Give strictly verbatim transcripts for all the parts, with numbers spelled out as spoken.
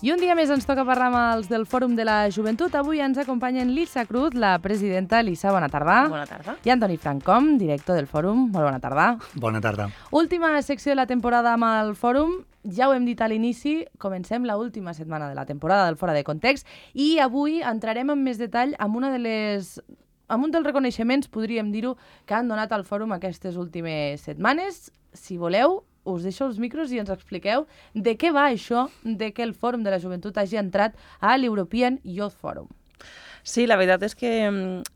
I un dia més ens toca parlar amb els del Fòrum de la Joventut. Avui ens acompanyen Lisa Cruz, la presidenta. Lisa, bona tarda. Bona tarda. I Antoni Francom, director del Fòrum. Molt bona tarda. Bona tarda. Última secció de la temporada amb el Fòrum. Ja ho hem dit a l'inici, comencem la última setmana de la temporada del Fora de Context i avui entrarem en més detall amb una de les... amb un dels reconeixements, podríem dir-ho, que han donat al Fòrum aquestes últimes setmanes. Si voleu, us deixo els micros i ens expliqueu de què va això de que el Fòrum de la Joventut hagi entrat a l'European Youth Forum. Sí, la veritat és que,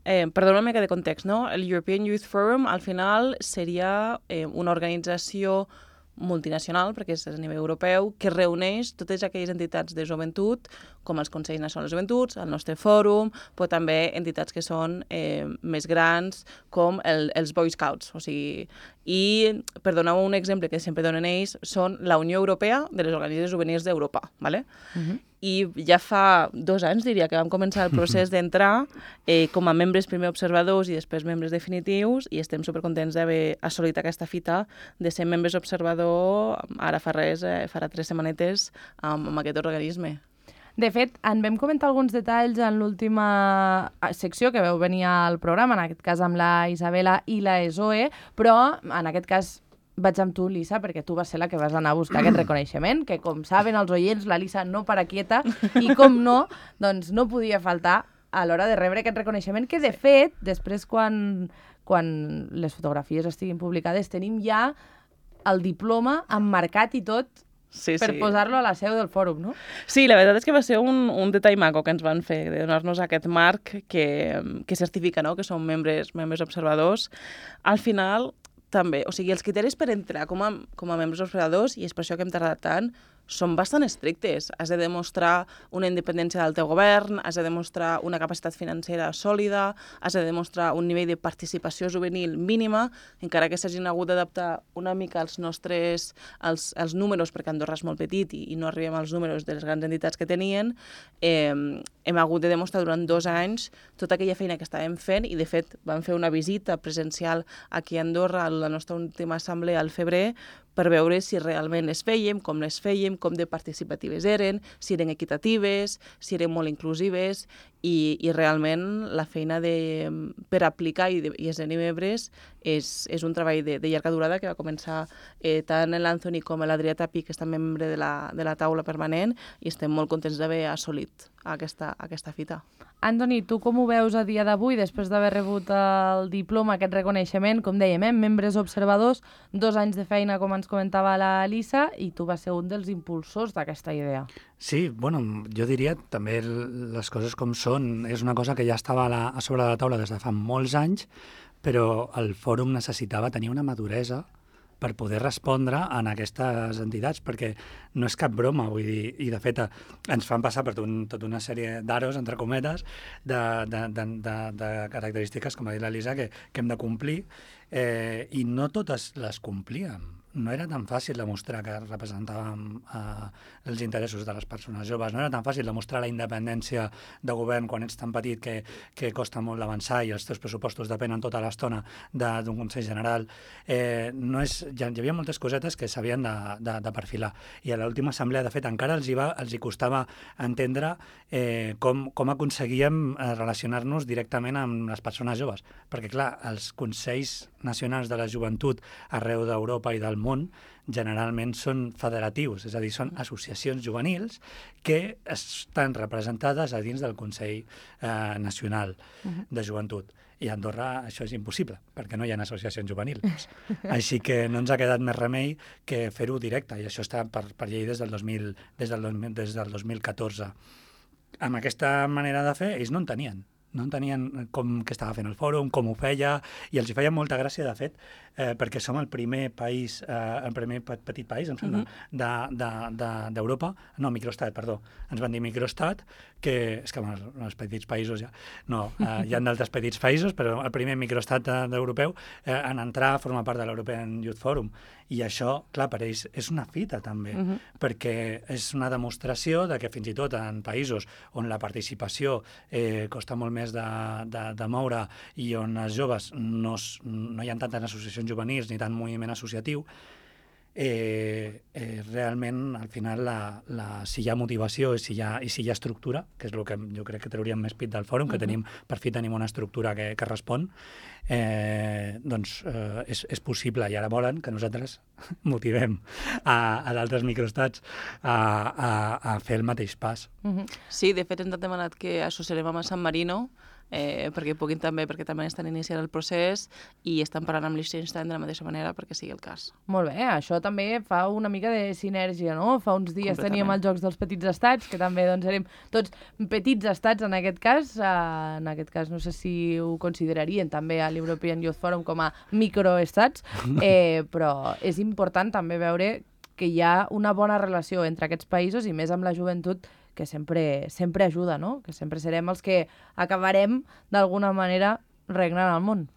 eh, perdona una mica de context, no? El European Youth Forum al final seria eh, una organització multinacional, perquè és a nivell europeu, que reuneix totes aquelles entitats de joventut, com els Consells Nacionals de Joventuts, el nostre fòrum, però també entitats que són eh, més grans, com el, els Boy Scouts. O sigui, i, per donar un exemple que sempre donen ells, són la Unió Europea de les Organitzacions Juvenils d'Europa, ¿vale? Uh-huh. I ja fa dos anys, diria, que vam començar el procés d'entrar eh, com a membres primer observadors i després membres definitius, i estem supercontents d'haver assolit aquesta fita de ser membres observador ara fa res, eh, farà tres setmanetes amb, amb aquest organisme. De fet, en vam comentar alguns detalls en l'última secció que veu venir al programa, en aquest cas amb la Isabela i la Zoe, però en aquest cas vaig amb tu, Lisa, perquè tu vas ser la que vas anar a buscar aquest reconeixement, que com saben els oients, la Lisa no para quieta, i com no, doncs no podia faltar a l'hora de rebre aquest reconeixement, que de fet, després quan, quan les fotografies estiguin publicades, tenim ja el diploma emmarcat i tot, sí, per sí. posar-lo a la seu del fòrum, no? Sí, la veritat és que va ser un, un detall maco que ens van fer, de donar-nos aquest marc que, que certifica, no?, que som membres, membres observadors. Al final, també, o sigui, els criteris per entrar com a, com a membres observadors, i és per això que hem tardat tant, són bastant estrictes. Has de demostrar una independència del teu govern, has de demostrar una capacitat financera sòlida, has de demostrar un nivell de participació juvenil mínima, encara que s'hagin hagut d'adaptar una mica als nostres als, als números, perquè Andorra és molt petit i, i no arribem als números de les grans entitats que tenien. Eh, hem hagut de demostrar durant dos anys tota aquella feina que estàvem fent, i de fet vam fer una visita presencial aquí a Andorra a la nostra última assemblea al febrer, per veure si realment les fèiem, com les fèiem, com de participatives eren, si eren equitatives, si eren molt inclusives, i, i realment la feina de, per aplicar i, de, i esdevenir membres és, és un treball de, de llarga durada que va començar eh, tant l'Anthony com l'Adrià Tapi, que està membre de la, de la taula permanent, i estem molt contents d'haver assolit aquesta, aquesta fita. Antoni, tu com ho veus a dia d'avui, després d'haver rebut el diploma, aquest reconeixement, com dèiem, eh, membres observadors, dos anys de feina, com ens comentava la Lisa, i tu vas ser un dels impulsors d'aquesta idea. Sí, bueno, jo diria també les coses com són. És una cosa que ja estava a, la, a sobre de la taula des de fa molts anys, però el fòrum necessitava tenir una maduresa per poder respondre en aquestes entitats, perquè no és cap broma, vull dir, i de fet ens fan passar per un, tota una sèrie d'aros, entre cometes, de, de, de, de, de característiques, com ha dit la Lisa, que, que hem de complir, eh, i no totes les complíem. No era tan fàcil demostrar que representàvem eh, els interessos de les persones joves, no era tan fàcil demostrar la independència de govern quan ets tan petit que, que costa molt d'avançar i els teus pressupostos depenen tota l'estona d'un Consell General. Eh, no és, ja, hi havia moltes cosetes que s'havien de, de, de perfilar, i a l'última assemblea, de fet, encara els hi, va, els hi costava entendre eh, com, com aconseguíem eh, relacionar-nos directament amb les persones joves, perquè, clar, els Consells Nacionals de la Joventut arreu d'Europa i del món generalment són federatius, és a dir, són associacions juvenils que estan representades a dins del Consell eh, Nacional de Joventut. I a Andorra això és impossible, perquè no hi ha associacions juvenils. Així que no ens ha quedat més remei que fer-ho directe, i això està per, per llei des del, dos mil, des, del, des del dos mil catorze. Amb aquesta manera de fer, ells no en tenien. No entenien com que estava fent el fòrum, com ho feia, i els hi feia molta gràcia, de fet, eh, perquè som el primer país, eh, el primer petit país, em sembla, uh-huh. d'Europa, de, de, no, microestat, perdó, ens van dir microestat, que és que els, els petits països ja, no, eh, hi ha d'altres petits països, però el primer microestat europeu eh, en entrar a formar part de l'European Youth Forum, i això, clar, per ells és una fita també, uh-huh. perquè és una demostració de que fins i tot en països on la participació eh, costa molt més de, de, de moure, i on els joves no, no hi ha tantes associacions juvenils ni tant moviment associatiu, eh, eh, realment, al final, la, la, si hi ha motivació i si hi ha, i si hi ha estructura, que és el que jo crec que trauríem més pit del fòrum, que uh-huh. tenim, per fi tenim una estructura que, que respon, eh, doncs eh, és, és possible. I ara volen que nosaltres motivem a, a d'altres microestats a, a, a fer el mateix pas. Uh-huh. Sí, de fet ens han demanat que associarem amb San Marino, Eh, perquè puguin també, perquè també estan iniciant el procés i estan parlant amb Liechtenstein de la mateixa manera perquè sigui el cas. Molt bé, això també fa una mica de sinergia, no? Fa uns dies teníem els Jocs dels Petits Estats, que també doncs, érem tots petits estats en aquest cas. Uh, en aquest cas no sé si ho considerarien també a l'European Youth Forum com a microestats, eh, però és important també veure que hi ha una bona relació entre aquests països i més amb la joventut, que sempre, sempre ajuda, no? Que sempre serem els que acabarem, d'alguna manera, regnant al món.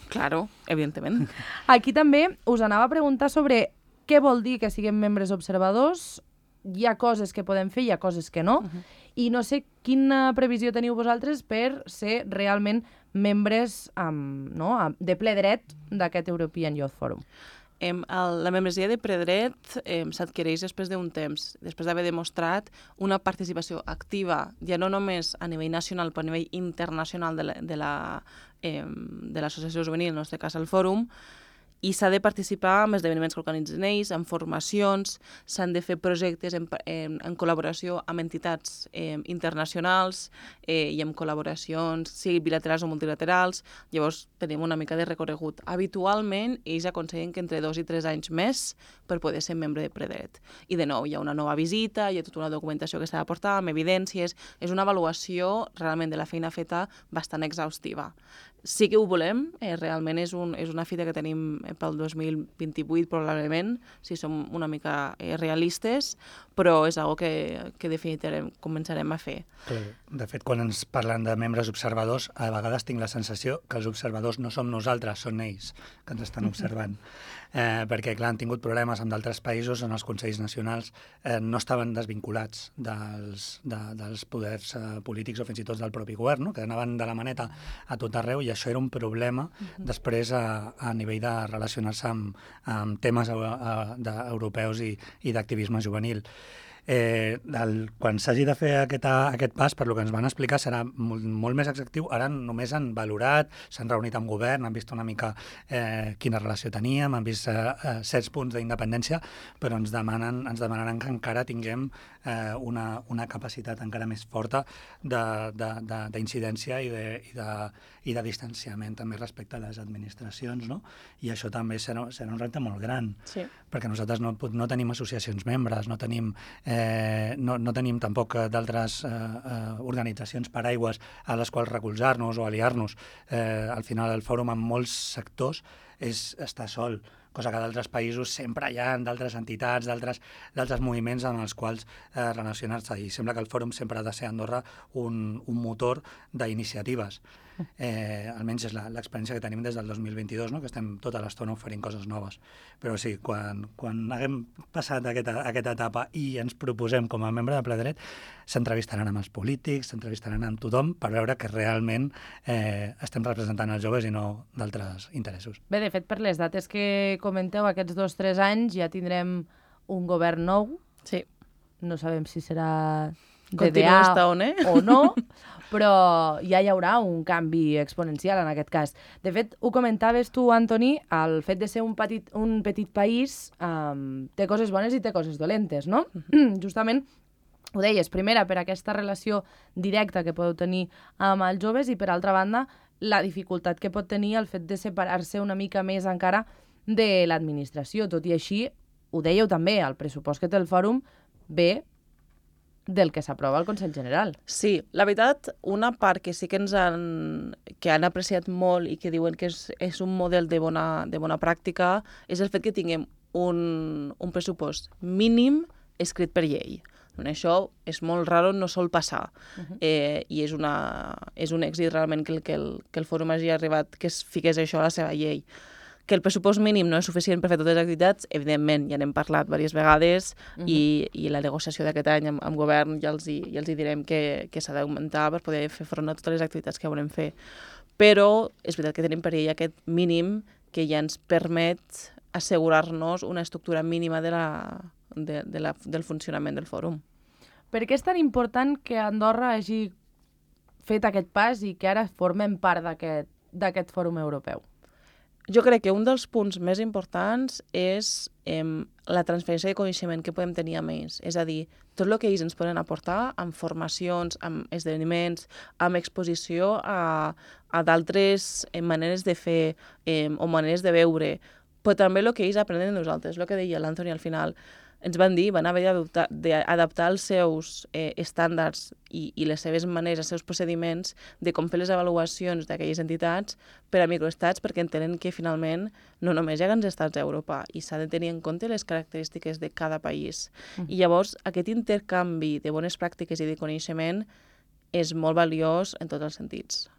Claro, evidentment. Aquí també us anava a preguntar sobre què vol dir que siguem membres observadors. Hi ha coses que podem fer, hi ha coses que no. Uh-huh. I no sé quina previsió teniu vosaltres per ser realment membres um, no? de ple dret d'aquest European Youth Forum. Em, el, la membresia de predret eh, s'adquireix després d'un temps, després d'haver demostrat una participació activa, ja no només a nivell nacional, però a nivell internacional de la, de la, eh, de l'associació juvenil, en el nostre cas el fòrum, i s'ha de participar en esdeveniments que organitzen ells, en formacions, s'han de fer projectes en, en, en col·laboració amb entitats eh, internacionals eh, i amb col·laboracions, sigui bilaterals o multilaterals. Llavors tenim una mica de recorregut. Habitualment ells aconsellen que entre dos i tres anys més per poder ser membre de predret. I de nou, hi ha una nova visita, hi ha tota una documentació que s'ha de portar, amb evidències. És una avaluació realment de la feina feta bastant exhaustiva. Sí que ho volem, eh, realment és, un, és una fita que tenim pel dos mil vint-i-vuit probablement, si som una mica eh, realistes, però és una que, que definitivament començarem a fer. De fet, quan ens parlen de membres observadors, a vegades tinc la sensació que els observadors no som nosaltres, són ells que ens estan observant. Eh, perquè, clar, han tingut problemes amb d'altres països on els consells nacionals eh, no estaven desvinculats dels, de, dels poders eh, polítics o fins i tot del propi govern, no? Que anaven de la maneta a tot arreu i això era un problema uh-huh. després a, a nivell de relacionar-se amb, amb temes a, a, de, europeus i, i d'activisme juvenil. Eh, el, quan s'hagi de fer aquest, aquest pas, per lo que ens van explicar, serà molt, molt més executiu. Ara només han valorat, s'han reunit amb govern, han vist una mica eh, quina relació teníem, han vist eh, certs punts d'independència, però ens demanen, ens demanaran que encara tinguem eh, una, una capacitat encara més forta d'incidència i, de, i, de, i de distanciament també respecte a les administracions, no? I això també serà, serà un repte molt gran, sí. perquè nosaltres no, no tenim associacions membres, no tenim Eh, no, no tenim tampoc d'altres eh, eh, organitzacions paraigües a les quals recolzar-nos o aliar-nos. Eh, al final el fòrum en molts sectors és estar sol, cosa que d'altres països sempre hi ha d'altres entitats, d'altres moviments amb els quals eh, relacionar-se. I sembla que el fòrum sempre ha de ser a Andorra un, un motor d'iniciatives. Eh, almenys és l'experiència que tenim des del dos mil vint-i-dos, no? Que estem tota l'estona oferint coses noves. Però sí, quan, quan haguem passat aquesta, aquesta etapa i ens proposem com a membre de Ple Dret, s'entrevistaran amb els polítics, s'entrevistaran amb tothom per veure que realment eh, estem representant els joves i no d'altres interessos. Bé, de fet, per les dates que comenteu, aquests dos o tres anys ja tindrem un govern nou. Sí. No sabem si serà D D A o no, però ja hi haurà un canvi exponencial en aquest cas. De fet, ho comentaves tu, Antoni, el fet de ser un petit, un petit país um, té coses bones i té coses dolentes, no? Uh-huh. Justament ho deies, primera, per aquesta relació directa que podeu tenir amb els joves i, per altra banda, la dificultat que pot tenir el fet de separar-se una mica més encara de l'administració. Tot i així, ho dèieu també, el pressupost que té el fòrum ve del que s'aprova al Consell General. Sí, la veritat, una part que sí que ens han, que han apreciat molt i que diuen que és, és un model de bona, de bona pràctica és el fet que tinguem un, un pressupost mínim escrit per llei. Això és molt raro, no sol passar. Uh-huh. eh, I és, una, és un èxit realment que el, que, el, que el fòrum hagi arribat, que es fiqués això a la seva llei. Que el pressupost mínim no és suficient per fer totes les activitats, evidentment, ja n'hem parlat diverses vegades, uh-huh. i, i la negociació d'aquest any amb, amb govern ja els, hi, ja els hi direm que, que s'ha d'augmentar per poder fer front a totes les activitats que volem fer. Però és veritat que tenim per ell aquest mínim que ja ens permet assegurar-nos una estructura mínima de la, de, de la, del funcionament del fòrum. Per què és tan important que Andorra hagi fet aquest pas i que ara formem part d'aquest fòrum europeu? Jo crec que un dels punts més importants és eh, la transferència de coneixement que podem tenir amb ells. És a dir, tot el que ells ens poden aportar amb formacions, amb esdeveniments, amb exposició a, a d'altres eh, maneres de fer eh, o maneres de veure, però també el que ells aprenen de nosaltres, el que deia l'Anthony al final. Ens van dir, van haver d'adaptar els seus eh, estàndards i, i les seves maneres, els seus procediments de com fer les avaluacions d'aquelles entitats per a microestats, perquè entenen que finalment no només hi ha grans estats d'Europa i s'ha de tenir en compte les característiques de cada país. Mm. I llavors aquest intercanvi de bones pràctiques i de coneixement és molt valiós en tots els sentits.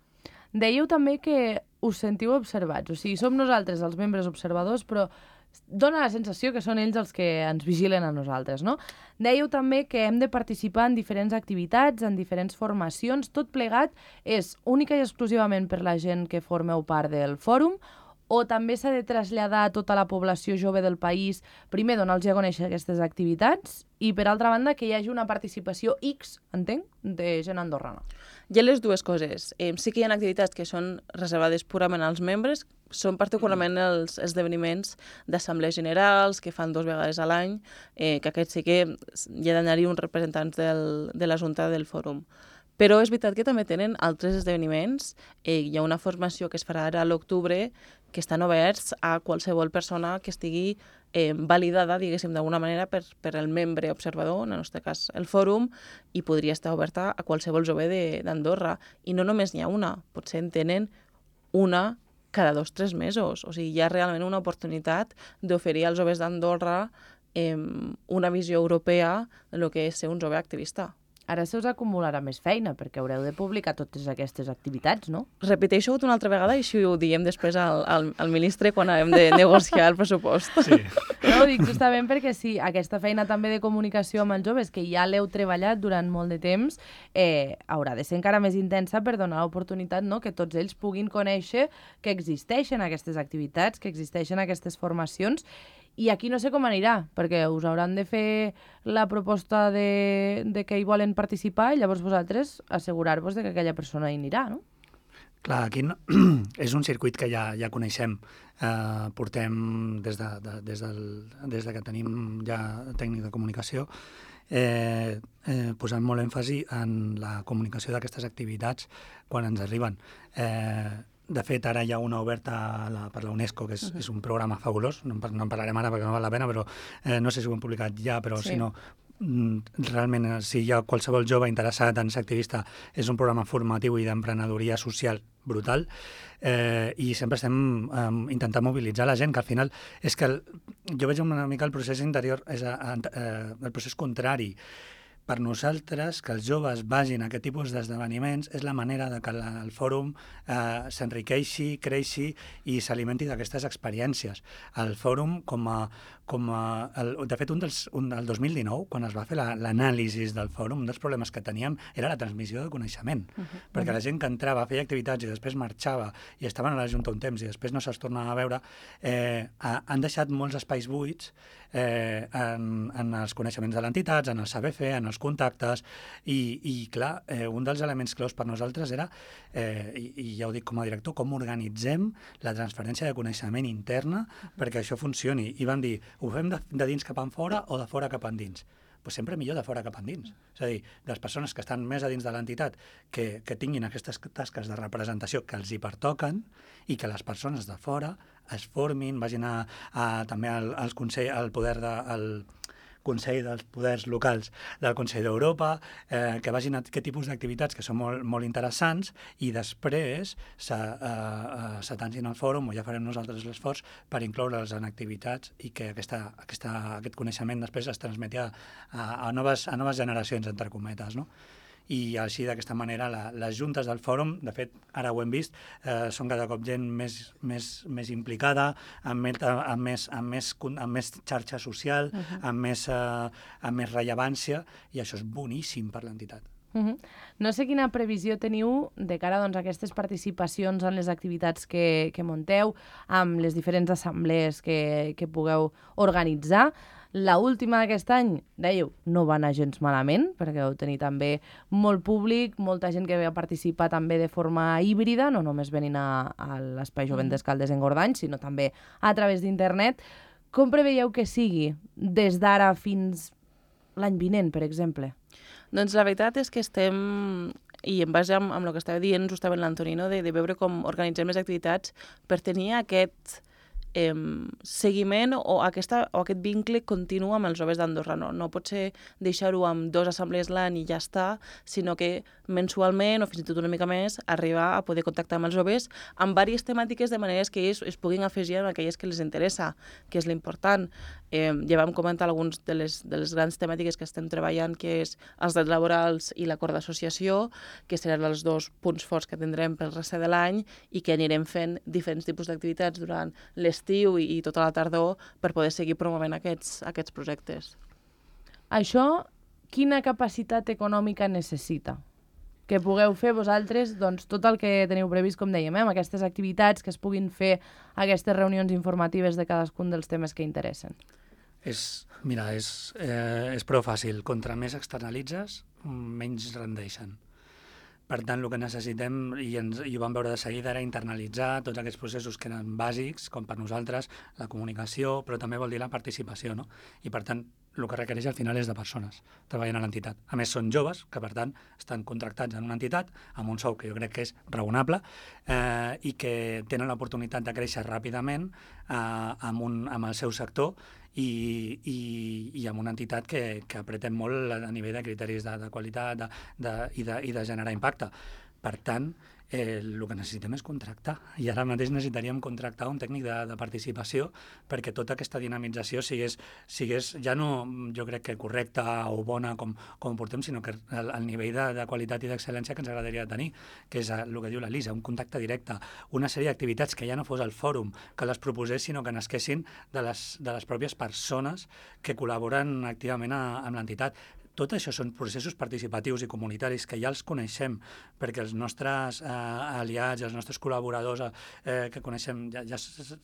Dèieu també que us sentiu observats, o sigui, som nosaltres els membres observadors, però dona la sensació que són ells els que ens vigilen a nosaltres, no? Dèieu també que hem de participar en diferents activitats, en diferents formacions, tot plegat és única i exclusivament per la gent que formeu part del fòrum, o també s'ha de traslladar a tota la població jove del país, primer donar-los a conèixer aquestes activitats i, per altra banda, que hi hagi una participació X, entenc, de gent andorrana. Hi ha les dues coses. Eh, sí que hi ha activitats que són reservades purament als membres, són particularment els esdeveniments d'assemblees generals que fan dues vegades a l'any, eh, que aquests sí que hi ha d'anar-hi uns representants del, de la Junta del Fòrum. Però és veritat que també tenen altres esdeveniments. Eh, hi ha una formació que es farà ara a l'octubre que estan oberts a qualsevol persona que estigui eh, validada, diguéssim, d'alguna manera per, per el membre observador, en el nostre cas el fòrum, i podria estar oberta a qualsevol jove d'Andorra. I no només n'hi ha una, potser en tenen una cada dos o tres mesos. O sigui, hi ha realment una oportunitat d'oferir als joves d'Andorra eh, una visió europea del que és ser un jove activista. Ara se us acumularà més feina, perquè haureu de publicar totes aquestes activitats, no? Repeteixo una altra vegada i així ho diem després al, al, al ministre quan hem de negociar el pressupost. Sí. No, ho dic justament perquè sí, aquesta feina també de comunicació amb els joves, que ja l'heu treballat durant molt de temps, eh, haurà de ser encara més intensa per donar l'oportunitat, no?, que tots ells puguin conèixer que existeixen aquestes activitats, que existeixen aquestes formacions. I aquí no sé com anirà, perquè us hauran de fer la proposta de, de que hi volen participar i llavors vosaltres assegurar-vos de que aquella persona hi anirà, no? Clar, aquí no, és un circuit que ja, ja coneixem. Eh, portem des de, de, des, del, des de que tenim ja tècnic de comunicació eh, eh, posant molt èmfasi en la comunicació d'aquestes activitats quan ens arriben. Eh, De fet, ara hi ha una oberta a la, per la UNESCO, que és, uh-huh. és un programa fabulós, no en, no en parlarem ara perquè no val la pena, però eh, no sé si ho hem publicat ja, però sí. Si no, realment, si hi ha qualsevol jove interessat en ser activista, és un programa formatiu i d'emprenedoria social brutal, eh, i sempre estem eh, intentant mobilitzar la gent, que al final és que el, jo veig una mica el procés interior, és a, a, a, el procés contrari. Per nosaltres, que els joves vagin a aquest tipus d'esdeveniments és la manera de que la, el fòrum eh, s'enriqueixi, creixi i s'alimenti d'aquestes experiències. El fòrum, com a... Com a el, de fet, un dels, un, el dos mil dinou, quan es va fer l'anàlisi la, del fòrum, un dels problemes que teníem era la transmissió de coneixement, uh -huh. perquè la gent que entrava, feia activitats i després marxava i estaven a la Junta un temps i després no se'ls tornava a veure, eh, han deixat molts espais buits eh, en, en els coneixements de l'entitat, en el saber fer, en els contactes, i, i clar, eh, un dels elements claus per nosaltres era, eh, i, i ja ho dic com a director, com organitzem la transferència de coneixement interna uh-huh. perquè això funcioni. I vam dir, ho fem de, de dins cap enfora o de fora cap endins? Pues sempre millor de fora cap endins. És a dir, les persones que estan més a dins de l'entitat que, que tinguin aquestes tasques de representació que els hi pertoquen i que les persones de fora es formin, vagin a, a, també al, als consell, al poder de... Al, Consell dels Poders Locals del Consell d'Europa, eh, que vagin a aquest tipus d'activitats que són molt, molt interessants i després s'atancin al fòrum, o ja farem nosaltres l'esforç per incloure'ls en activitats i que aquesta, aquesta, aquest coneixement després es transmeti a, a, a, noves, a noves generacions, entre cometes, no? I així, d'aquesta manera, la, les juntes del fòrum, de fet, ara ho hem vist, eh, són cada cop gent més, més, més implicada, amb més, amb, més, amb, més, amb més xarxa social, uh-huh. amb, més, eh, amb més rellevància, i això és boníssim per l'entitat. Uh -huh. No sé quina previsió teniu de cara doncs, a aquestes participacions en les activitats que, que munteu, amb les diferents assemblees que, que pugueu organitzar. La última d'aquest any, dèieu, no va anar gens malament, perquè vau tenir també molt públic, molta gent que va participar també de forma híbrida, no només venint a, a l'Espai Jovent mm. d'Escaldes en Gordany, sinó també a través d'internet. Com preveieu que sigui des d'ara fins l'any vinent, per exemple? Doncs la veritat és que estem, i en base amb, amb el que estava dient justament l'Antonino, de, de veure com organitzem les activitats per tenir aquest eh, seguiment o, aquesta, o aquest vincle continu amb els joves d'Andorra. No, no pot ser deixar-ho amb dos assemblees l'any i ja està, sinó que mensualment o fins i tot una mica més arribar a poder contactar amb els joves amb diverses temàtiques de maneres que ells es puguin afegir en aquelles que les interessa, que és l'important. Eh, ja vam comentar algunes de les, de les grans temàtiques que estem treballant, que és els drets laborals i l'acord d'associació, que seran els dos punts forts que tindrem pel rest de l'any i que anirem fent diferents tipus d'activitats durant l'estiu i, i tota la tardor per poder seguir promovent aquests, aquests projectes. Això, quina capacitat econòmica necessita? Que pugueu fer vosaltres doncs, tot el que teniu previst, com dèiem, eh, amb aquestes activitats, que es puguin fer aquestes reunions informatives de cadascun dels temes que interessen. És, mira, és, eh, és prou fàcil. Contra més externalitzes, menys rendeixen. Per tant, el que necessitem, i, ens, i ho vam veure de seguida, era internalitzar tots aquests processos que eren bàsics, com per nosaltres, la comunicació, però també vol dir la participació, no? I per tant, el que requereix al final és de persones treballant a l'entitat. A més, són joves, que per tant estan contractats en una entitat amb un sou que jo crec que és raonable eh, i que tenen l'oportunitat de créixer ràpidament eh, amb, un, amb el seu sector i, i, i amb una entitat que, que apretem molt a nivell de criteris de, de qualitat de, de, i, de, i de generar impacte. Per tant, eh, el que necessitem és contractar. I ara mateix necessitaríem contractar un tècnic de, de participació perquè tota aquesta dinamització sigués, sigués ja no, jo crec que correcta o bona com, com portem, sinó que el, el nivell de, de qualitat i d'excel·lència que ens agradaria tenir, que és el que diu la Lisa, un contacte directe, una sèrie d'activitats que ja no fos el fòrum que les proposés, sinó que nasquessin de les, de les pròpies persones que col·laboren activament a, amb l'entitat. Tot això són processos participatius i comunitaris que ja els coneixem, perquè els nostres eh, aliats, els nostres col·laboradors eh, que coneixem ja, ja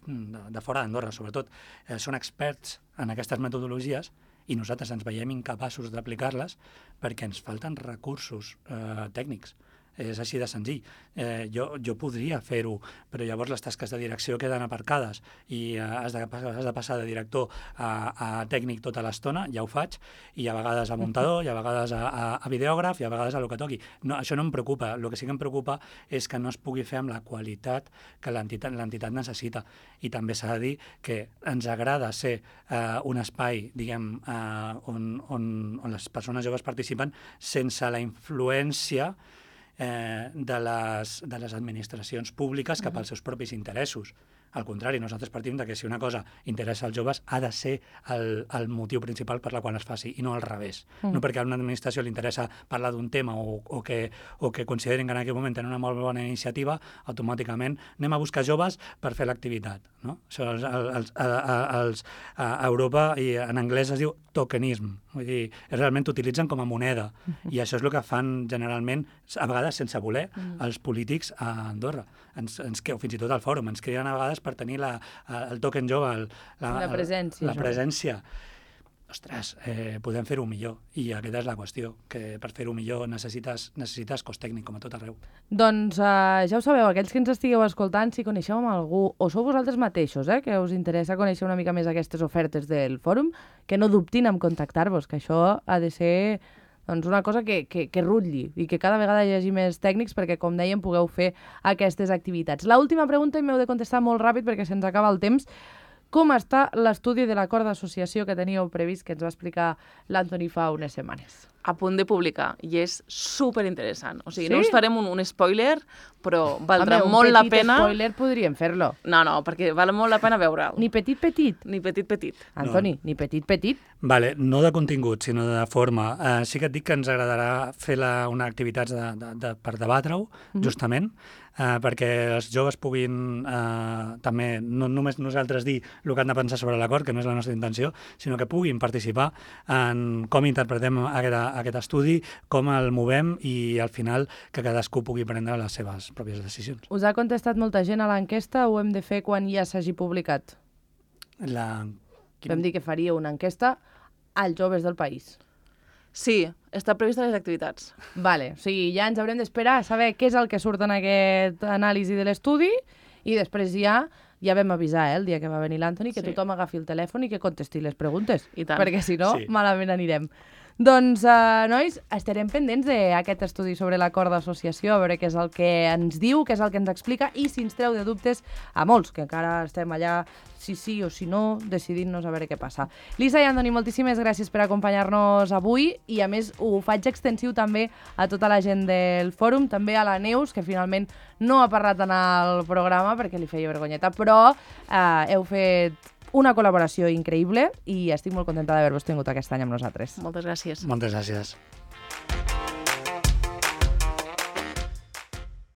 de fora d'Andorra, sobretot, eh, són experts en aquestes metodologies i nosaltres ens veiem incapaços d'aplicar-les perquè ens falten recursos eh, tècnics. És així de senzill. Eh, jo, jo podria fer-ho, però llavors les tasques de direcció queden aparcades i eh, has, de, has de passar de director a, a tècnic tota l'estona, ja ho faig, i a vegades a muntador, i a vegades a, a, a videògraf, i a vegades a lo que toqui. No, això no em preocupa. El que sí que em preocupa és que no es pugui fer amb la qualitat que l'entitat necessita. I també s'ha de dir que ens agrada ser eh, un espai, diguem, eh, on, on, on les persones joves participen sense la influència Eh, de, les, de les administracions públiques cap als seus propis interessos. Al contrari, nosaltres partim de que si una cosa interessa als joves ha de ser el, el motiu principal per la qual es faci, i no al revés. Mm. No perquè a una administració li interessa parlar d'un tema o, o, que, o que considerin que en aquell moment tenen una molt bona iniciativa, automàticament anem a buscar joves per fer l'activitat. No? Això els, els, els, a Europa, i en anglès es diu tokenism, vull dir, realment t'utilitzen com a moneda, mm-hmm. i això és el que fan generalment, a vegades sense voler, mm. els polítics a Andorra. Ens, ens, o fins i tot al fòrum, ens criden a vegades per tenir la, el token jove, el, la, la presència. La presència. Ostres, eh, podem fer-ho millor, i aquesta és la qüestió, que per fer-ho millor necessites, necessites cos tècnic, com a tot arreu. Doncs uh, ja ho sabeu, aquells que ens estigueu escoltant, si coneixeu amb algú, o sou vosaltres mateixos, eh, que us interessa conèixer una mica més aquestes ofertes del fòrum, que no dubtin en contactar-vos, que això ha de ser doncs una cosa que, que, que rutlli i que cada vegada hi hagi més tècnics perquè, com dèiem, pugueu fer aquestes activitats. L'última pregunta, i m'heu de contestar molt ràpid perquè se'ns acaba el temps. Com està l'estudi de l'acord d'associació que teníeu previst, que ens va explicar l'Antoni fa unes setmanes? A punt de publicar, i és superinteressant. O sigui, sí? no us farem un, un spoiler, però valdrà Home, molt la pena... un petit spoiler podríem fer-lo. No, no, perquè val molt la pena veure'l. Ni petit, petit? Ni petit, petit. Antoni, no. Ni petit, petit? Vale, no de contingut, sinó de forma. Uh, sí que et dic que ens agradarà fer la, una activitat de, de, de, per debatre-ho, mm-hmm. justament, uh, perquè els joves puguin uh, també, no només nosaltres dir el que han de pensar sobre l'acord, que no és la nostra intenció, sinó que puguin participar en com interpretem aquesta, aquest estudi, com el movem i al final que cadascú pugui prendre les seves pròpies decisions. Us ha contestat molta gent a l'enquesta o ho hem de fer quan ja s'hagi publicat? La... Vam dir que faria una enquesta als joves del país. Sí, està prevista les activitats. Vale, o sigui, ja ens haurem d'esperar a saber què és el que surt en aquest anàlisi de l'estudi i després ja ja vam avisar, eh, el dia que va venir l'Anthony, que Sí. tothom agafi el telèfon i que contesti les preguntes. I tant. Perquè si no, Sí. malament anirem. Doncs, uh, nois, estarem pendents d'aquest estudi sobre l'acord d'associació, a veure què és el que ens diu, què és el que ens explica i si ens treu de dubtes a molts, que encara estem allà, si sí o si no, decidint-nos a veure què passa. Lisa i Antoni, moltíssimes gràcies per acompanyar-nos avui i, a més, ho faig extensiu també a tota la gent del fòrum, també a la Neus, que finalment no ha parlat en el programa perquè li feia vergonyeta, però eh, heu fet una col·laboració increïble i estic molt contenta d'haver-vos tingut aquest any amb nosaltres. Moltes gràcies. Moltes gràcies.